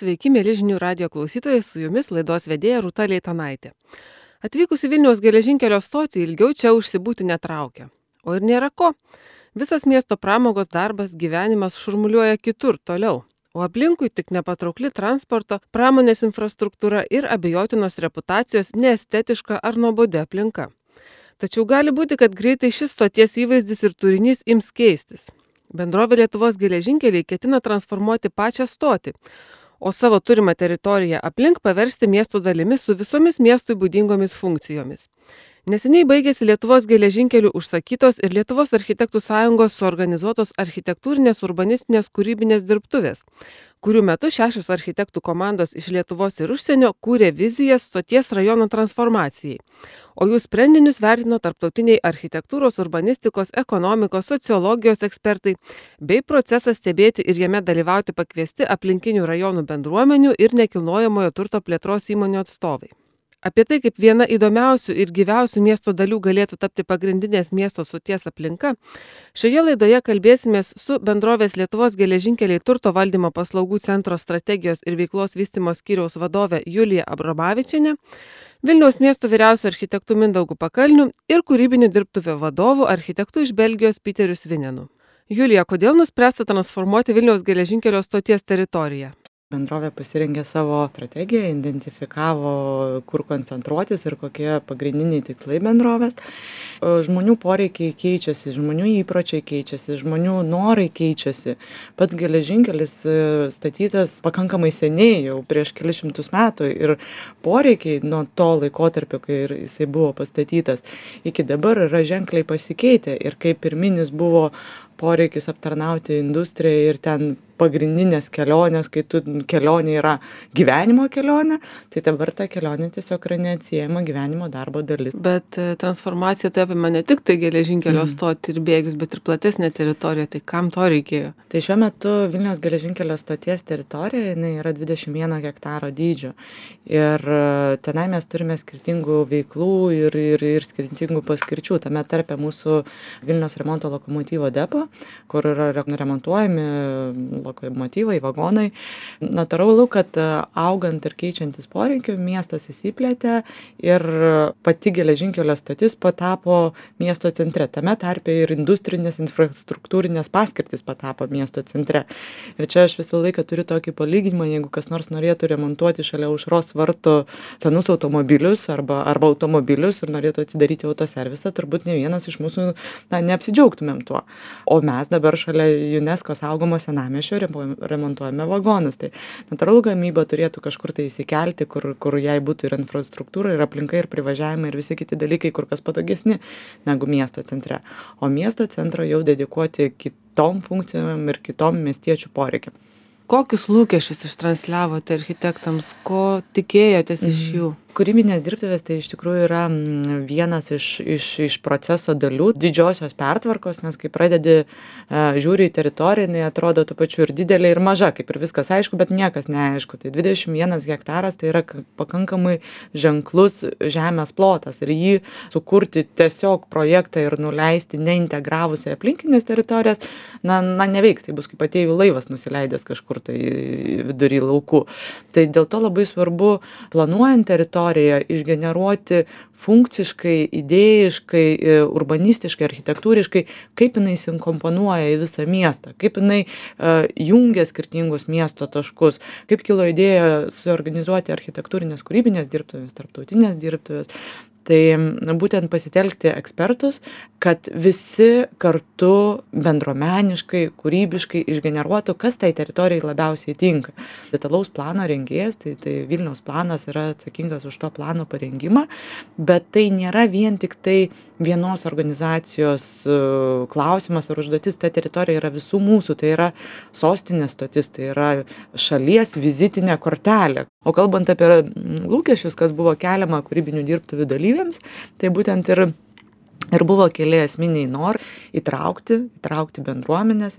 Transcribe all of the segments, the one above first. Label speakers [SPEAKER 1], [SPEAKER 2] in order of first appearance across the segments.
[SPEAKER 1] Sveiki, mėly žinių radijo klausytojai, su jumis laidos vedėja Rūta Leitanaitė. Atvykusi Vilniaus geležinkelio stotį ilgiau čia užsibūti netraukia. O ir nėra ko. Visos miesto pramogos, darbas, gyvenimas šurmuliuoja kitur, toliau. O aplinkui tik nepatraukli transporto, pramonės infrastruktūra ir abejotinos reputacijos neestetiška ar nuobodi aplinka. Tačiau gali būti, kad greitai šis stoties įvaizdis ir turinys ims keistis. Bendrovė Lietuvos geležinkeliai ketina transformuoti pačią stotį, o savo turimą teritoriją aplink paversti miesto dalimis su visomis miestui būdingomis funkcijomis. Neseniai baigėsi Lietuvos geležinkelių užsakytos ir Lietuvos architektų sąjungos suorganizuotos architektūrinės urbanistinės kūrybinės dirbtuvės, kurių metu 6 architektų komandos iš Lietuvos ir užsienio kūrė vizijas stoties rajono transformacijai, o jų sprendinius vertino tarptautiniai architektūros, urbanistikos, ekonomikos, sociologijos ekspertai, bei procesą stebėti ir jame dalyvauti pakviesti aplinkinių rajonų bendruomenių ir nekilnojamojo turto plėtros įmonių atstovai. Apie tai, kaip viena įdomiausių ir gyviausių miesto dalių galėtų tapti pagrindinės miesto stoties aplinka, šioje laidoje kalbėsimės su bendrovės Lietuvos geležinkeliai turto valdymo paslaugų centro strategijos ir veiklos vystymo skyriaus vadove Julija Abromavičienė, Vilniaus miesto vyriausiu architektu Mindaugu Pakalniu ir kūrybinių dirbtuvių vadovu architektu iš Belgijos Piteriu Svinenu. Julija, kodėl nuspręsta transformuoti Vilniaus geležinkelio stoties teritoriją?
[SPEAKER 2] Bendrovė pasirengė savo strategiją, identifikavo, kur koncentruotis ir kokie pagrindiniai tikslai bendrovės. Žmonių poreikiai keičiasi, žmonių įpročiai keičiasi, žmonių norai keičiasi. Pats geležinkelis statytas pakankamai seniai, jau prieš kelius šimtus metų, ir poreikiai nuo to laikotarpio, kai jisai buvo pastatytas, iki dabar yra ženkliai pasikeitę. Ir kaip pirminis buvo poreikis aptarnauti industriją ir ten pagrindinės kelionės, kai kelionė yra gyvenimo kelionė, tai dabar ta kelionė tiesiog yra neatsiejama gyvenimo darbo dalis.
[SPEAKER 1] Bet transformacija tai apima ne tik tai geležinkelio stotį ir bėgius, bet ir platesnė teritorija. Tai kam to reikėjo?
[SPEAKER 2] Tai šiuo metu Vilniaus geležinkelio stoties teritorija yra 21 hektaro dydžio. Ir tenai mes turime skirtingų veiklų ir skirtingų paskirčių. Tame tarpe mūsų Vilniaus remonto lokomotyvo depo, kur yra remontuojami lokomotyvai, vagonai. Natūralu, kad augant ir keičiantis poreikiu, miestas įsiplėtė ir pati geležinkelio stotis patapo miesto centre. Tame tarpe ir industrinės infrastruktūrinės paskirtis patapo miesto centre. Ir čia aš visą laiką turiu tokį palyginimą, jeigu kas nors norėtų remontuoti šalia Aušros vartų senus automobilius arba automobilius ir norėtų atsidaryti autoservisą, turbūt ne vienas iš mūsų neapsidžiaugtumėm tuo. O mes dabar šalia UNESCO saugomo senamiesčio remontuojame vagonus. Tai natūralu, gamyba turėtų kažkur tai įsikelti, kur jai būtų ir infrastruktūra, ir aplinka, ir privažiavimai, ir visi kiti dalykai kur kas patogesni negu miesto centre. O miesto centro jau dedikuoti kitom funkcijom ir kitom miestiečių poreikiam.
[SPEAKER 1] Kokius lūkesčius ištransliavote architektams, ko tikėjotės iš jų?
[SPEAKER 2] Kūrybinės dirbtuvės tai iš tikrųjų yra vienas iš proceso dalių, didžiosios pertvarkos, nes kai pradedi žiūri į teritoriją, jinai atrodo tuo pačiu ir didelė, ir maža, kaip ir viskas aišku, bet niekas neaišku. Tai 21 hektaras tai yra pakankamai ženklus žemės plotas ir jį sukurti tiesiog projektą ir nuleisti neintegravus į aplinkinės teritorijas, neveiks, tai bus kaip ateivių laivas nusileidęs kažkur tai vidury laukų. Tai dėl to labai svarbu planuojant teritoriją išgeneruoti funkciškai, idėjiškai, urbanistiškai, architektūriškai, kaip jinai įsikomponuoja į visą miestą, kaip jinai jungia skirtingus miesto taškus, kaip kilo idėja suorganizuoti architektūrinės kūrybinės dirbtuvės, tarptautinės dirbtuvės. Tai būtent pasitelkti ekspertus, kad visi kartu bendruomeniškai, kūrybiškai išgeneruotų, kas tai teritorijai labiausiai tinka. Detalaus plano rengėjas, tai Vilniaus planas yra atsakingas už to plano parengimą, bet tai nėra vien tik tai vienos organizacijos klausimas ar užduotis, ta teritorija yra visų mūsų, tai yra sostinės stotis, tai yra šalies vizitinė kortelė. O kalbant apie lūkesčius, kas buvo keliama kūrybinių dirbtuvių dalyviams, tai būtent ir buvo keli esminiai norai įtraukti bendruomenės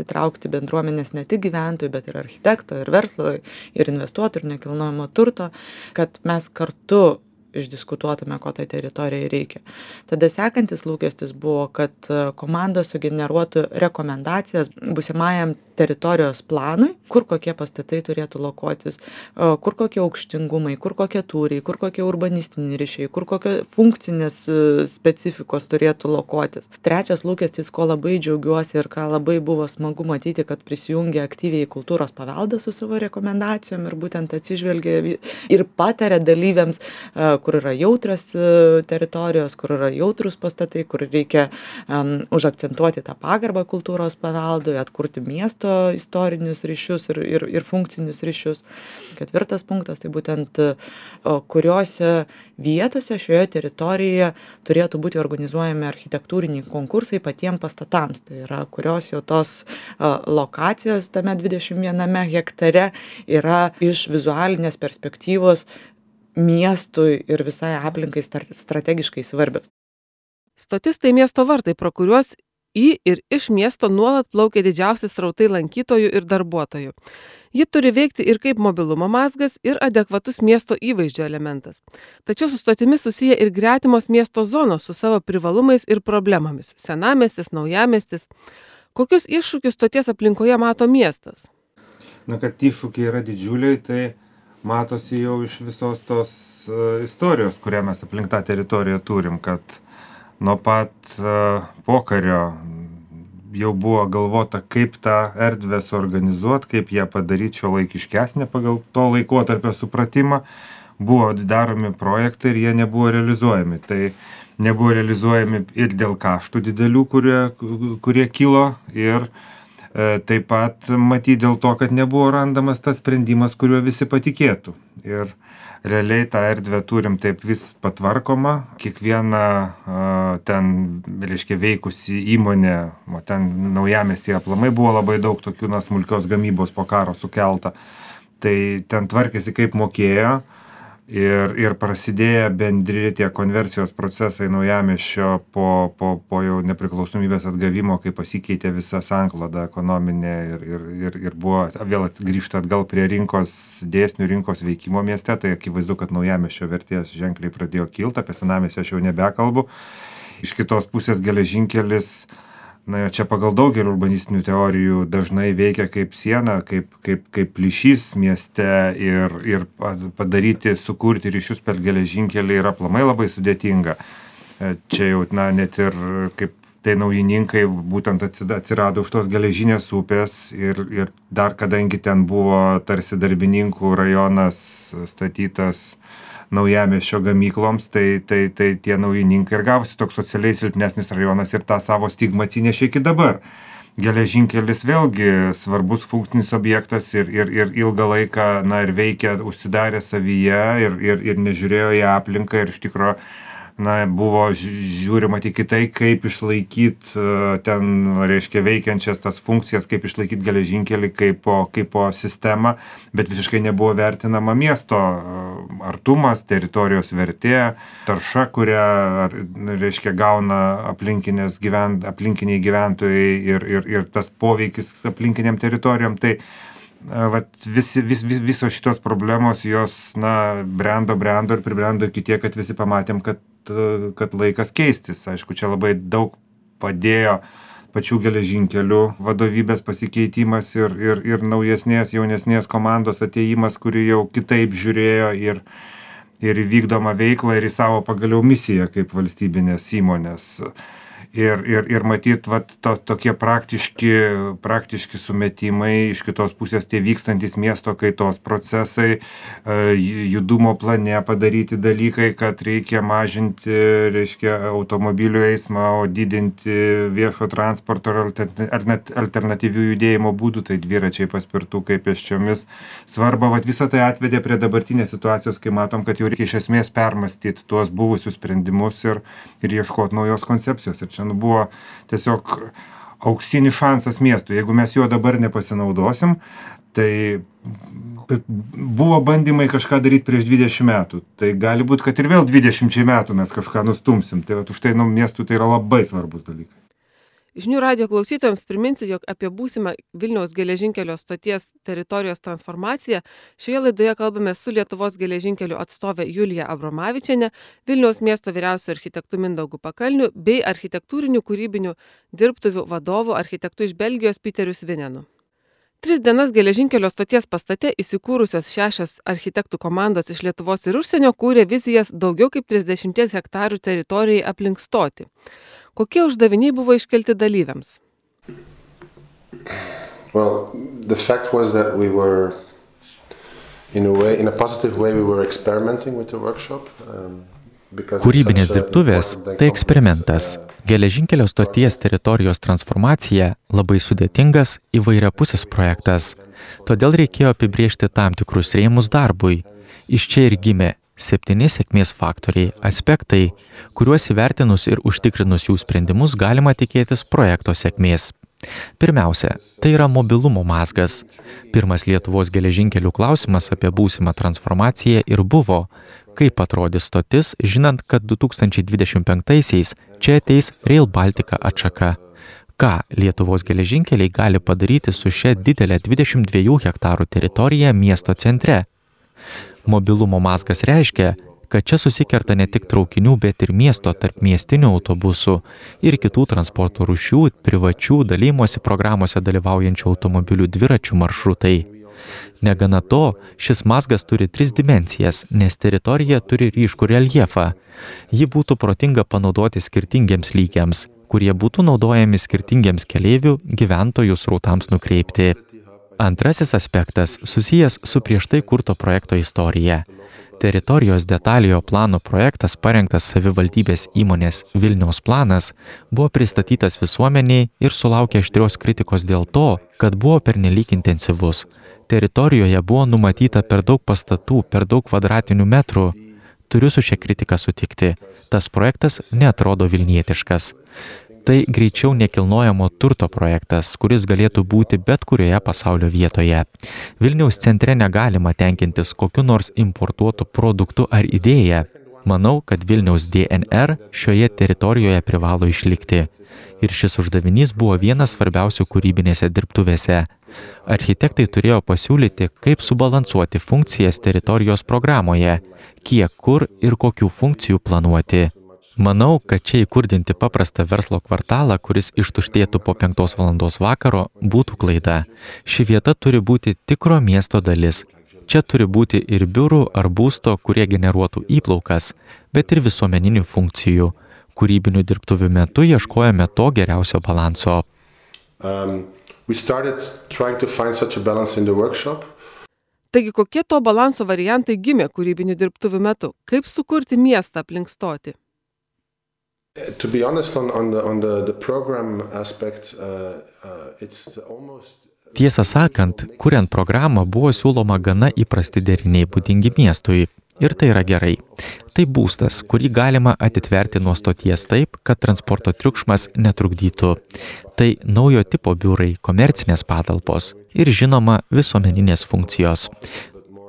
[SPEAKER 2] ne tik gyventojų, bet ir architekto, ir verslo, ir investuotojų, ir nekilnojamo turto, kad mes kartu išdiskutuotume, ko tai teritorijai reikia. Tada sekantis lūkestis buvo, kad komandos sugeneruotų rekomendacijas būsimajam teritorijos planui, kur kokie pastatai turėtų lokuotis, kur kokie aukštingumai, kur kokie tūriai, kur kokie urbanistiniai ryšiai, kur kokie funkcinės specifikos turėtų lokuotis. Trečias lūkestis, ko labai džiaugiuosi ir ką labai buvo smagu matyti, kad prisijungia aktyviai kultūros paveldą su savo rekomendacijom ir būtent atsižvelgia ir pataria dalyviams, kur yra jautrios teritorijos, kur yra jautrus pastatai, kur reikia užakcentuoti tą pagarbą kultūros paveldui, atkurti miesto istorinius ryšius ir funkcinius ryšius. Ketvirtas punktas, tai būtent kuriuose vietose šioje teritorijoje turėtų būti organizuojami architektūriniai konkursai patiems pastatams. Tai yra, kurios jau tos lokacijos tame 21 hektare yra iš vizualinės perspektyvos miestui ir visai aplinkai strategiškai svarbios.
[SPEAKER 1] Stotis tai miesto vartai, pro kuriuos į ir iš miesto nuolat plaukia didžiausi srautai lankytojų ir darbuotojų. Ji turi veikti ir kaip mobilumo mazgas, ir adekvatus miesto įvaizdžio elementas. Tačiau su stotimi susiję ir gretimos miesto zonos su savo privalumais ir problemomis. Senamiestis, naujamiestis. Kokius iššūkius stoties aplinkoje mato miestas?
[SPEAKER 3] Na, kad iššūkiai yra didžiuliai, tai matosi jau iš visos tos istorijos, kurią mes aplink tą teritoriją turim, kad nuo pat pokario jau buvo galvota, kaip tą erdvę suorganizuoti, kaip ją padaryti šiuolaikiškesnę pagal to laikotarpio supratimą. Buvo daromi projektai ir jie nebuvo realizuojami. Tai nebuvo realizuojami ir dėl kaštų didelių, kurie kilo, ir taip pat matyti dėl to, kad nebuvo randamas tas sprendimas, kuriuo visi patikėtų. Ir realiai tą erdvę turim taip vis patvarkoma, kiekviena ten, reiškia, veikusi įmonė, ten naujamiestyje aplamai buvo labai daug tokių smulkios gamybos po karo sukelta, tai ten tvarkėsi kaip mokėjo ir prasidėjo bendri tie konversijos procesai naujamiesčio po jau nepriklausomybės atgavimo, kai pasikeitė visa sankloda ekonominė ir buvo vėl grįžta atgal prie rinkos dėsnių, rinkos veikimo mieste, tai akivaizdu, kad naujamiesčio vertės ženkliai pradėjo kilti, apie senamiestį aš jau nebekalbu. Iš kitos pusės geležinkelis, na, čia pagal daugelį urbanistinių teorijų dažnai veikia kaip siena, kaip plyšys mieste ir padaryti, sukurti ryšius per geležinkelį yra aplamai labai sudėtinga. Čia jau, na, net ir kaip tai naujininkai būtent atsirado už tos geležinės upės ir dar kadangi ten buvo tarsi darbininkų rajonas statytas naujamiesčio gamykloms, tai tie naujininkai ir gavosi toks socialiai silpnesnis rajonas ir tą savo stigmą atsinešė iki dabar. Geležinkelis vėlgi svarbus funkcinis objektas ir ilgą laiką, na, ir veikia užsidarė savyje ir nežiūrėjo į aplinką ir iš tikrųjų, na, buvo žiūrima tik į tai, kaip išlaikyti ten, reiškia, veikiančias tas funkcijas, kaip išlaikyti geležinkelį kaip sistemą, bet visiškai nebuvo vertinama miesto artumas, teritorijos vertė, tarša, kurią, reiškia, gauna aplinkiniai gyventojai ir tas poveikis aplinkiniam teritorijom. Tai visos šitos problemos, jos, na, brendo ir pribrendo iki tiek, kad visi pamatėm, kad laikas keistis. Aišku, čia labai daug padėjo pačių geležinkelių vadovybės pasikeitimas ir naujesnės, jaunesnės komandos atėjimas, kuri jau kitaip žiūrėjo ir vykdomą veiklą ir į savo pagaliau misiją kaip valstybinės įmonės. Ir matyt, tokie praktiški sumetimai, iš kitos pusės tie vykstantis miesto kaitos procesai, judumo plane padaryti dalykai, kad reikia mažinti, reiškia, automobilių eismą, o didinti viešo transporto ar net alternatyvių judėjimo būdų, tai dviračiai, paspirtukai, pėsčiomis. Svarba, visą tai atvedė prie dabartinės situacijos, kai matom, kad jau reikia iš esmės permastyti tuos buvusius sprendimus ir ieškoti naujos koncepcijos. Ir čia buvo tiesiog auksinis šansas miestui. Jeigu mes juo dabar nepasinaudosim, tai buvo bandymai kažką daryti prieš 20 metų. Tai gali būti, kad ir vėl 20 metų mes kažką nustumsim. Tai už tai miestui tai yra labai svarbus dalykai.
[SPEAKER 1] Žinių radijo klausytojams priminsiu, jog apie būsimą Vilniaus geležinkelio stoties teritorijos transformaciją šioje laidoje kalbame su Lietuvos geležinkelių atstovė Julija Abromavičienė, Vilniaus miesto vyriausiu architektu Mindaugu Pakalniu bei architektūrinių kūrybinių dirbtuvių vadovu architektu iš Belgijos Piteriu Svinenu. 3 dienas geležinkelio stoties pastate įsikūrusios 6 architektų komandos iš Lietuvos ir užsienio kūrė vizijas daugiau kaip 30 hektarų teritorijai aplink stotį. Kokie uždaviniai buvo iškelti dalyviams?
[SPEAKER 4] Well, the fact was that we were, in a positive way, we were experimenting with the workshop.
[SPEAKER 5] Kūrybinės dirbtuvės – tai eksperimentas. Geležinkelio stoties teritorijos transformacija labai sudėtingas įvairiapusis projektas. Todėl reikėjo apibrėžti tam tikrus rėmus darbui. Iš čia ir gimė 7 sėkmės faktoriai, aspektai, kuriuos įvertinus ir užtikrinus jų sprendimus galima tikėtis projekto sėkmės. Pirmiausia, tai yra mobilumo mazgas. Pirmas Lietuvos geležinkelių klausimas apie būsimą transformaciją ir buvo, kaip atrodys stotis, žinant, kad 2025-aisiais čia ateis Rail Baltica atšaka. Ką Lietuvos geležinkeliai gali padaryti su šia didelė 22 hektarų teritorija miesto centre? Mobilumo mazgas reiškia, kad čia susikerta ne tik traukinių, bet ir miesto tarp miestinių autobusų ir kitų transporto rūšių, privačių dalymosi programuose dalyvaujančių automobilių dviračių maršrutai. Negana to, šis mazgas turi 3 dimensijas, nes teritorija turi ryškų reljefą. Ji būtų protinga panaudoti skirtingiems lygiams, kurie būtų naudojami skirtingiems keleivių gyventojų srautams nukreipti. Antrasis aspektas susijęs su prieš tai kurto projekto istorija. Teritorijos detaliojo plano projektas parengtas savivaldybės įmonės Vilniaus planas buvo pristatytas visuomeniai ir sulaukė aštrios kritikos dėl to, kad buvo pernelyg intensyvus. Teritorijoje buvo numatyta per daug pastatų, per daug kvadratinių metrų. Turiu su šia kritika sutikti. Tas projektas neatrodo vilnietiškas. Tai greičiau nekilnojamo turto projektas, kuris galėtų būti bet kurioje pasaulio vietoje. Vilniaus centre negalima tenkintis kokiu nors importuotų produktų ar idėją. Manau, kad Vilniaus DNR šioje teritorijoje privalo išlikti. Ir šis uždavinys buvo vienas svarbiausių kūrybinėse dirbtuvėse. Architektai turėjo pasiūlyti, kaip subalansuoti funkcijas teritorijos programoje, kiek, kur ir kokių funkcijų planuoti. Manau, kad čia įkurdinti paprastą verslo kvartalą, kuris ištuštėtų po 5 valandos vakaro, būtų klaida. Ši vieta turi būti tikro miesto dalis. Čia turi būti ir biurų ar būsto, kurie generuotų įplaukas, bet ir visuomeninių funkcijų. Kūrybinių dirbtuvių metu ieškojome to geriausio balanso.
[SPEAKER 1] Taigi, kokie to balanso variantai gimė kūrybinių dirbtuvių metu? Kaip sukurti miestą aplink stotį?
[SPEAKER 4] To be honest, on the program aspect, it's almost...
[SPEAKER 5] Tiesą sakant, kuriant programą buvo siūloma gana įprasti deriniai būdingi miestui. Ir tai yra gerai. Tai būstas, kurį galima atitverti nuo stoties taip, kad transporto triukšmas netrukdytų. Tai naujo tipo biurai, komercinės patalpos ir žinoma visuomeninės funkcijos.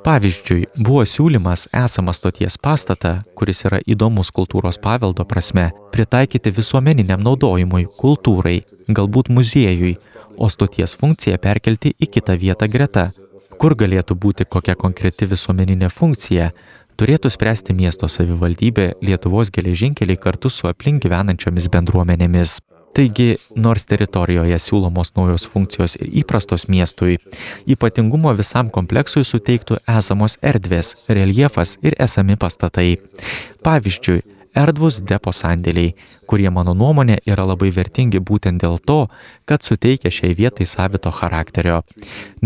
[SPEAKER 5] Pavyzdžiui, buvo siūlymas esamą stoties pastatą, kuris yra įdomus kultūros paveldo prasme, pritaikyti visuomeniniam naudojimui, kultūrai, galbūt muziejui, o stoties funkciją perkelti į kitą vietą greta. Kur galėtų būti kokia konkreti visuomeninė funkcija, turėtų spręsti miesto savivaldybė, Lietuvos geležinkeliai kartu su aplink gyvenančiomis bendruomenėmis. Taigi, nors teritorijoje siūlomos naujos funkcijos ir įprastos miestui, ypatingumo visam kompleksui suteiktų esamos erdvės, reljefas ir esami pastatai. Pavyzdžiui, erdvūs depo sandėliai, kurie mano nuomonė yra labai vertingi būtent dėl to, kad suteikia šiai vietai savito charakterio.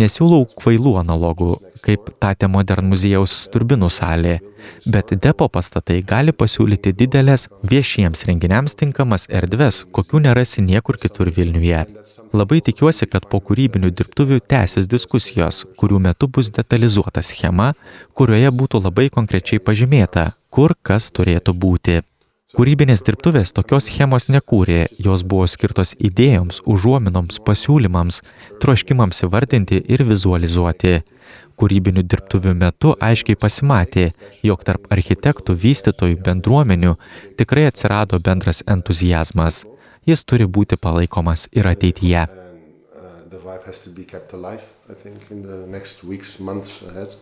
[SPEAKER 5] Nesiūlau kvailų analogų, kaip Tate Modern muziejaus Turbinų salė, bet depo pastatai gali pasiūlyti didelės viešiems renginiams tinkamas erdves, kokių nerasi niekur kitur Vilniuje. Labai tikiuosi, kad po kūrybinių dirbtuvių tęsis diskusijos, kurių metu bus detalizuota schema, kurioje būtų labai konkrečiai pažymėta, kur kas turėtų būti. Kūrybinės dirbtuvės tokios schemos nekūrė, jos buvo skirtos idėjoms, užuominoms, pasiūlymams, troškimams įvardinti ir vizualizuoti. Kūrybinių dirbtuvių metu aiškiai pasimatė, jog tarp architektų, vystytojų, bendruomenių tikrai atsirado bendras entuziazmas. jis turi būti palaikomas ir ateityje.
[SPEAKER 4] The vibe has to be kept alive, I think, in the next weeks, months ahead.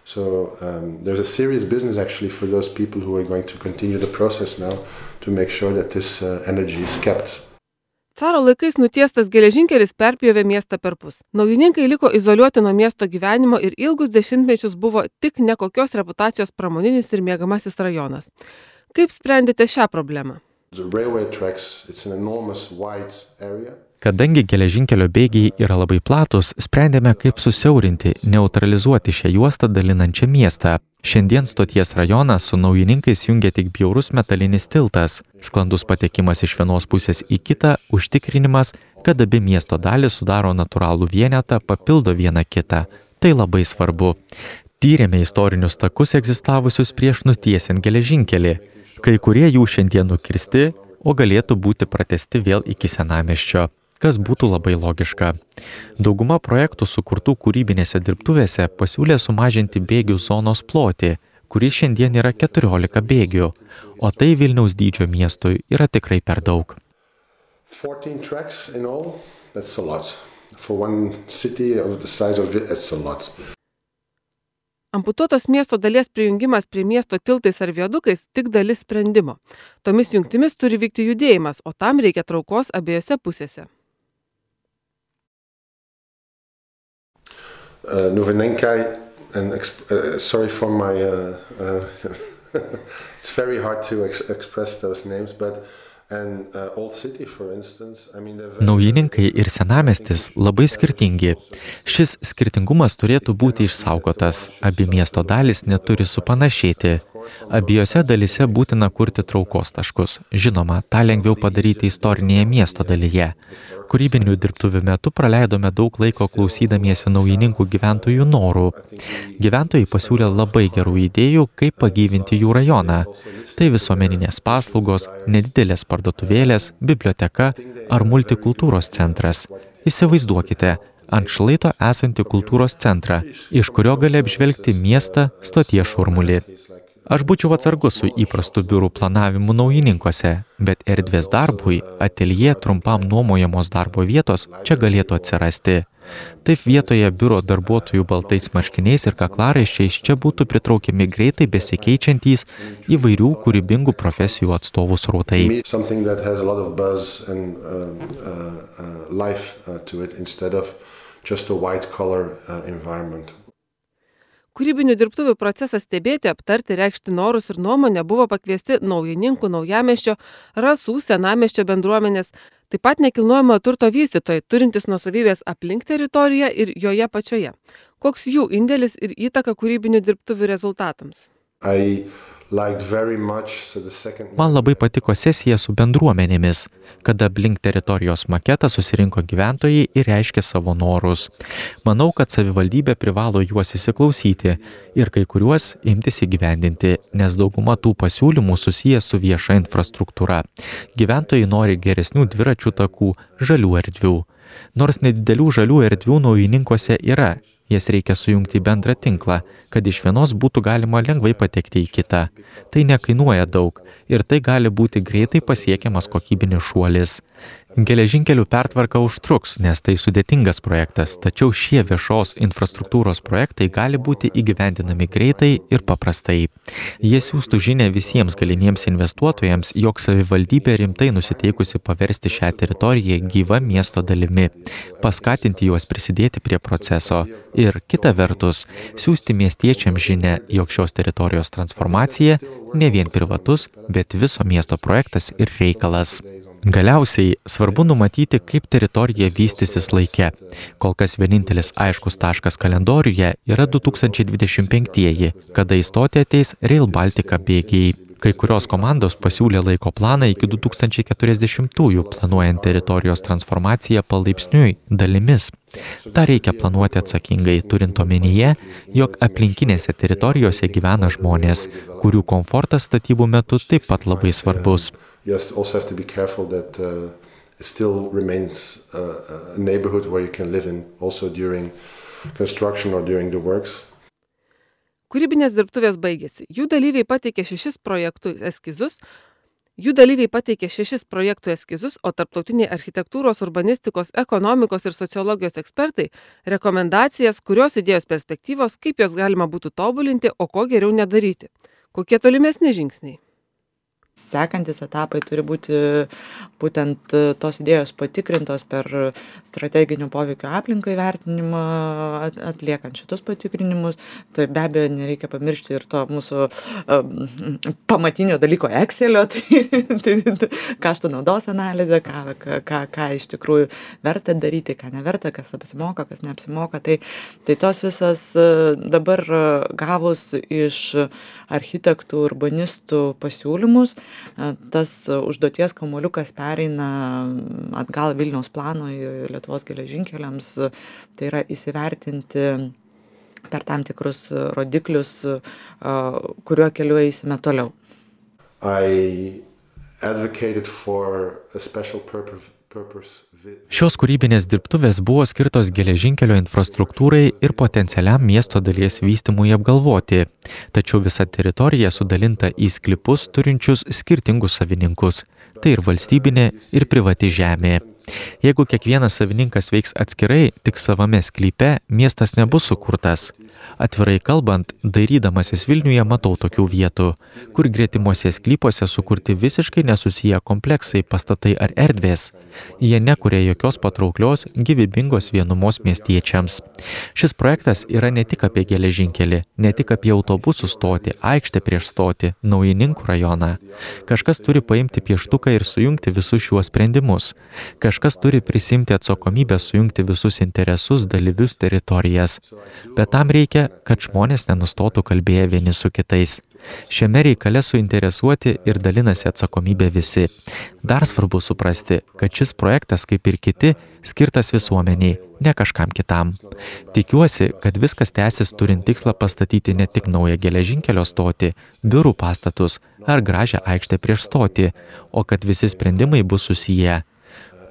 [SPEAKER 4] So there's a serious business actually for those people who are going to continue the process now to make sure that this energy is kept.
[SPEAKER 1] Caro laikais nutiestas geležinkelis perpjovė miestą perpus. Naujininkai liko izoliuoti nuo miesto gyvenimo ir ilgus dešimtmečius buvo tik nekokios reputacijos pramoninis ir mėgamasis rajonas. Kaip sprendėte šią problemą?
[SPEAKER 4] The railway tracks, it's an enormous wide area.
[SPEAKER 5] Kadangi geležinkelio bėgiai yra labai platus, sprendėme, kaip susiaurinti, neutralizuoti šią juostą dalinančią miestą. Šiandien stoties rajoną su naujininkais jungia tik bjaurus metalinis tiltas, sklandus patekimas iš vienos pusės į kitą, užtikrinimas, kad abi miesto dalys sudaro natūralų vienetą, papildo vieną kitą. Tai labai svarbu. Tyrėme istorinius takus egzistavusius prieš nutiesiant geležinkelį. Kai kurie jų šiandien nukirsti, o galėtų būti pratęsti vėl iki senamiesčio, kas būtų labai logiška. Dauguma projektų sukurtų kūrybinėse dirbtuvėse pasiūlė sumažinti bėgių zonos plotį, kuris šiandien yra 14 bėgių, o tai Vilniaus dydžio miestui yra tikrai per daug.
[SPEAKER 4] 14 tracks in all, that's a lot. For one city of the size of it, that's a lot.
[SPEAKER 1] Amputuotos miesto dalies prijungimas prie miesto tiltais ar viadukais tik dalis sprendimo. Tomis jungtimis turi vykti judėjimas, o tam reikia traukos abiejose pusėse.
[SPEAKER 4] Nuvinenkai, and sorry for my, it's very hard to express those names, but and Old City, for instance, I mean,
[SPEAKER 5] Naujininkai ir senamiestis labai skirtingi. Šis skirtingumas turėtų būti išsaugotas. Abi miesto dalys neturi supanašėti. Abiejose dalyse būtina kurti traukos taškus. Žinoma, tą lengviau padaryti istorinėje miesto dalyje. Kūrybinių dirbtuvių metu praleidome daug laiko klausydamiesi naujininkų gyventojų norų. Gyventojai pasiūlė labai gerų idėjų, kaip pagyvinti jų rajoną. Tai visuomeninės paslaugos, nedidelės parduotuvėlės, biblioteka ar multikultūros centras. Įsivaizduokite, ant šlaito esantį kultūros centrą, iš kurio gali apžvelgti miestą stoties šurmulį. Aš būčiau atsargus su įprastu biurų planavimu naujininkuose, bet erdvės darbui, ateljė trumpam nuomojamos darbo vietos čia galėtų atsirasti. Taip vietoje biuro darbuotojų baltais marškiniais ir kaklaraiščiais čia būtų pritraukiami greitai besikeičiantys įvairių kūrybingų profesijų atstovų srautai.
[SPEAKER 4] Something that has a lot of buzz and life to it instead of just a white collar environment.
[SPEAKER 1] Kūrybinių dirbtuvių procesą stebėti, aptarti, reikšti norus ir nuomonę buvo pakviesti naujininkų, naujamiesčio, rasų, senamiesčio bendruomenės, taip pat nekilnojamo turto vystytojai, turintys nuosavybės aplink teritoriją ir joje pačioje. Koks jų indėlis ir įtaka kūrybinių dirbtuvių rezultatams?
[SPEAKER 5] Man labai patiko sesija su bendruomenėmis, kada aplink teritorijos maketą susirinko gyventojai ir reiškė savo norus. Manau, kad savivaldybė privalo juos įsiklausyti ir kai kuriuos imtis įgyvendinti, nes dauguma tų pasiūlymų susijęs su vieša infrastruktūra. Gyventojai nori geresnių dviračių takų, žalių erdvių. Nors nedidelių žalių erdvių naujininkuose yra, jas reikia sujungti į bendrą tinklą, kad iš vienos būtų galima lengvai patekti į kitą. Tai nekainuoja daug ir tai gali būti greitai pasiekiamas kokybinis šuolis. Geležinkelių pertvarka užtruks, nes tai sudėtingas projektas, tačiau šie viešos infrastruktūros projektai gali būti įgyvendinami greitai ir paprastai. Jie siųstų žinę visiems galimiems investuotojams, jog savivaldybė rimtai nusiteikusi paversti šią teritoriją gyva miesto dalimi, paskatinti juos prisidėti prie proceso ir, kita vertus, siųsti miestiečiams žinę, jog šios teritorijos transformacija ne vien privatus, bet viso miesto projektas ir reikalas. Galiausiai svarbu numatyti, kaip teritorija vystysis laike. Kol kas vienintelis aiškus taškas kalendoriuje yra 2025-ieji, kada įstoti ateis Rail Baltica bėgiai. Kai kurios komandos pasiūlė laiko planą iki 2040-ųjų, planuojant teritorijos transformaciją palaipsniui dalimis. Ta reikia planuoti atsakingai, turint omenyje, jog aplinkinėse teritorijose gyvena žmonės, kurių komfortas statybų metu taip pat labai svarbus.
[SPEAKER 4] You also have to be careful that it still remains a neighborhood where you can live in also during construction or during the works.
[SPEAKER 1] Kūrybinės dirbtuvės baigėsi. Jų dalyviai pateikė 6 projektų eskizus. Jų dalyviai pateikė 6 projektų eskizus, o tarptautiniai architektūros, urbanistikos, ekonomikos ir sociologijos ekspertai rekomendacijas, kurios idėjos perspektyvos, kaip jas galima būtų tobulinti, o ko geriau nedaryti. Kokie tolimesni žingsniai?
[SPEAKER 2] Sekantis etapai turi būti būtent tos idėjos patikrintos per strateginių poveikio aplinkai vertinimą, atliekant šitus patikrinimus. Tai be abejo nereikia pamiršti ir to mūsų pamatinio dalyko Excelio, tai kaštų naudos analizė, ką iš tikrųjų verta daryti, ką neverta, kas apsimoka, kas neapsimoka. Tai tos visas dabar gavus iš architektų, urbanistų pasiūlymus, tas užduoties kamuoliukas pereina atgal Vilniaus planui, Lietuvos geležinkeliams, tai yra įsivertinti per tam tikrus rodiklius, kuriuo keliu eisime toliau.
[SPEAKER 4] I advocated for a special purpose.
[SPEAKER 5] Šios kūrybinės dirbtuvės buvo skirtos geležinkelio infrastruktūrai ir potencialiam miesto dalies vystymui apgalvoti, tačiau visa teritorija sudalinta į sklypus turinčius skirtingus savininkus. Tai ir valstybinė, ir privati žemė. Jeigu kiekvienas savininkas veiks atskirai, tik savame sklype, miestas nebus sukurtas. Atvirai kalbant, dairydamasis Vilniuje matau tokių vietų, kur gretimuose sklypuose sukurti visiškai nesusiję kompleksai, pastatai ar erdvės. Jie nekuria jokios patrauklios, gyvybingos vienumos miestiečiams. Šis projektas yra ne tik apie geležinkelį, ne tik apie autobusų stotį, aikštę prieš stotį, Naujininkų rajoną. Kažkas turi paimti pieštuką ir sujungti visus šiuos sprendimus. Kažkas turi prisimti atsakomybę sujungti visus interesus, dalyvius, teritorijas. Bet tam reikia, kad žmonės nenustotų kalbėję vieni su kitais. Šiame reikale suinteresuoti ir dalinasi atsakomybė visi. Dar svarbu suprasti, kad šis projektas, kaip ir kiti, skirtas visuomeniai, ne kažkam kitam. Tikiuosi, kad viskas tęsis turint tikslą pastatyti ne tik naują geležinkelio stotį, biurų pastatus ar gražią aikštę prieš stotį, o kad visi sprendimai bus susiję.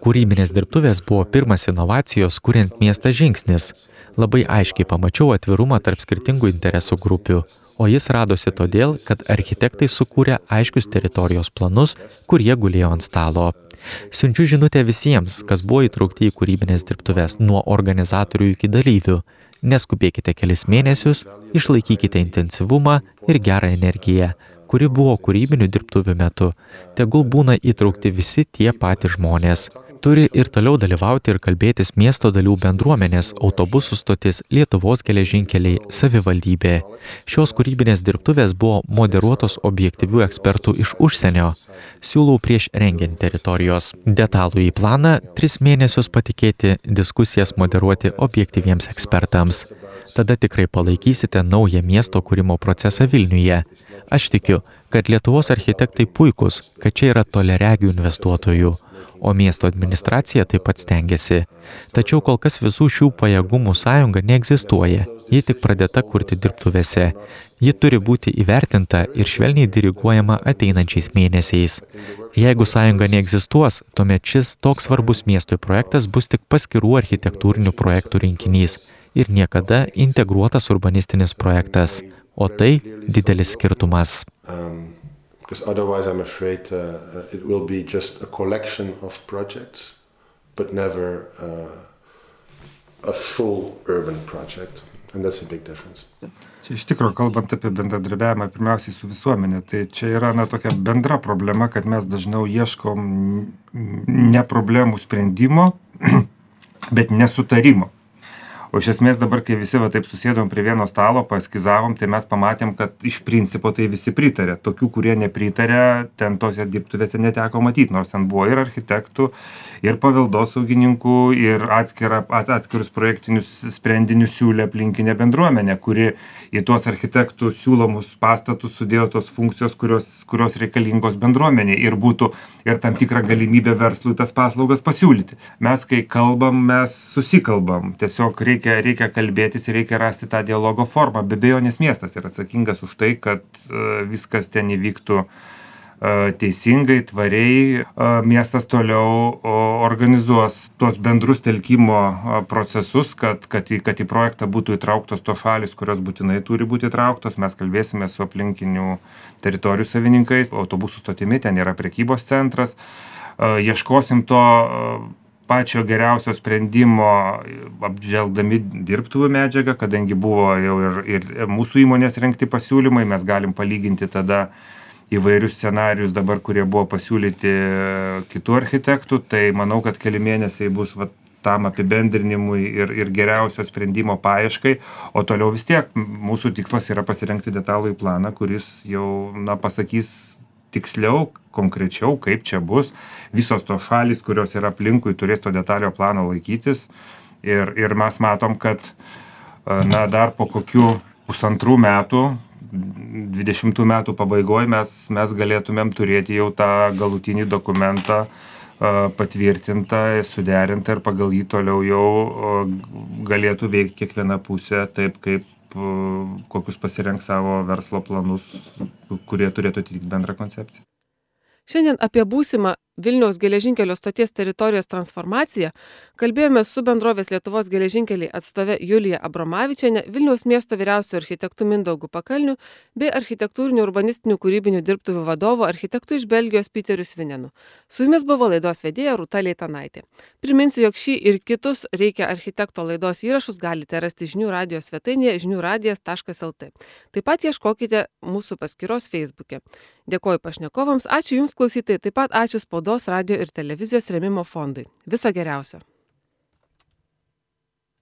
[SPEAKER 5] Kūrybinės dirbtuvės buvo pirmas inovacijos, kuriant miestą žingsnis. Labai aiškiai pamačiau atvirumą tarp skirtingų interesų grupių, o jis radosi todėl, kad architektai sukūrė aiškius teritorijos planus, kurie gulėjo ant stalo. Siunčiu žinutę visiems, kas buvo įtraukti į kūrybinės dirbtuvės, nuo organizatorių iki dalyvių. Neskubėkite kelis mėnesius, išlaikykite intensyvumą ir gerą energiją, kuri buvo kūrybinių dirbtuvių metu. Tegul būna įtraukti visi tie patys žmonės. Turi ir toliau dalyvauti ir kalbėtis miesto dalių bendruomenės, autobusų stotis, Lietuvos geležinkeliai, savivaldybė. Šios kūrybinės dirbtuvės buvo moderuotos objektyvių ekspertų iš užsienio. Siūlau prieš rengiant teritorijos detalų į planą 3 mėnesius patikėti diskusijas moderuoti objektyviems ekspertams. Tada tikrai palaikysite naują miesto kūrimo procesą Vilniuje. Aš tikiu, kad Lietuvos architektai puikus, kad čia yra toliaregių investuotojų. O miesto administracija taip pat stengiasi. Tačiau kol kas visų šių pajėgumų sąjunga neegzistuoja. Ji tik pradėta kurti dirbtuvėse. Ji turi būti įvertinta ir švelniai diriguojama ateinančiais mėnesiais. Jeigu sąjunga neegzistuos, tuomet šis toks svarbus miestui projektas bus tik paskirų architektūrinių projektų rinkinys ir niekada integruotas urbanistinis projektas. O tai didelis skirtumas.
[SPEAKER 4] Because otherwise I'm afraid it will be just a collection of projects, but never a full urban project. And that's a big difference.
[SPEAKER 3] Čia iš tikrųjų, kalbant apie bendradarbiavimą pirmiausiai su visuomenė, tai čia yra tokia bendra problema, kad mes dažniau ieškom ne problemų sprendimo, bet nesutarimo. O iš esmės dabar, kai visi taip susėdom prie vieno stalo, paskizavom, tai mes pamatėm, kad iš principo tai visi pritarė. Tokių, kurie nepritarė, ten tose dirbtuvėse neteko matyti, nors ten buvo ir architektų, ir paveldosaugininkų, ir atskirus projektinius sprendinius siūlė aplinkinė bendruomenė, kuri į tuos architektų siūlomus pastatus sudėjo tos funkcijos, kurios reikalingos bendruomeniai ir būtų ir tam tikrą galimybę verslui tas paslaugas pasiūlyti. Mes, kai kalbam, mes susikalbam. Tiesiog reikia kalbėtis ir reikia rasti tą dialogo formą. Be abejonės miestas yra atsakingas už tai, kad viskas ten įvyktų teisingai, tvariai miestas toliau organizuos tuos bendrus telkimo procesus, kad į projektą būtų įtrauktos tos šalis, kurios būtinai turi būti įtrauktos. Mes kalbėsime su aplinkinių teritorijų savininkais, autobusų stotimi, ten yra prekybos centras. Ieškosim to pačio geriausio sprendimo, apžvelgdami dirbtuvių medžiagą, kadangi buvo jau ir mūsų įmonės rengti pasiūlymai, mes galim palyginti tada įvairius scenarius dabar, kurie buvo pasiūlyti kitų architektų, tai manau, kad keli mėnesiai bus tam apibendrinimui ir geriausio sprendimo paieškai, o toliau vis tiek mūsų tikslas yra pasirengti detalųjį planą, kuris jau pasakys tiksliau, konkrečiau, kaip čia bus. Visos tos šalys, kurios yra aplinkui, turės to detalio plano laikytis ir mes matom, kad dar po kokių 1,5 metų 20 metų pabaigoje mes galėtumėm turėti jau tą galutinį dokumentą patvirtintą, suderintą ir pagal jį toliau jau galėtų veikti kiekviena pusė taip, kaip kokius pasirenks savo verslo planus, kurie turėtų atitikti bendrą koncepciją.
[SPEAKER 1] Šiandien apie būsimą Vilniaus geležinkelio stoties teritorijos transformaciją kalbėjome su bendrovės Lietuvos geležinkeliai atstove Julija Abromavičienė, Vilniaus miesto vyriausiu architektu Mindaugu Pakalniu bei architektūrinių urbanistinių kūrybinių dirbtuvių vadovu architektu iš Belgijos Piteriu Svinenu. Su jumis buvo laidos vedėja Rūta Leitanaitė. Priminsiu, jog šį ir kitus Reikia architekto laidos įrašus galite rasti žinių radijo svetainėje žiniųradijas.lt. Taip pat ieškokite mūsų paskyros Facebook'e. Dėkoju pašnekovams, ačiū Jums klausytojai, taip pat ačiū Spaudos, radijo ir televizijos rėmimo fondui. Viso geriausio.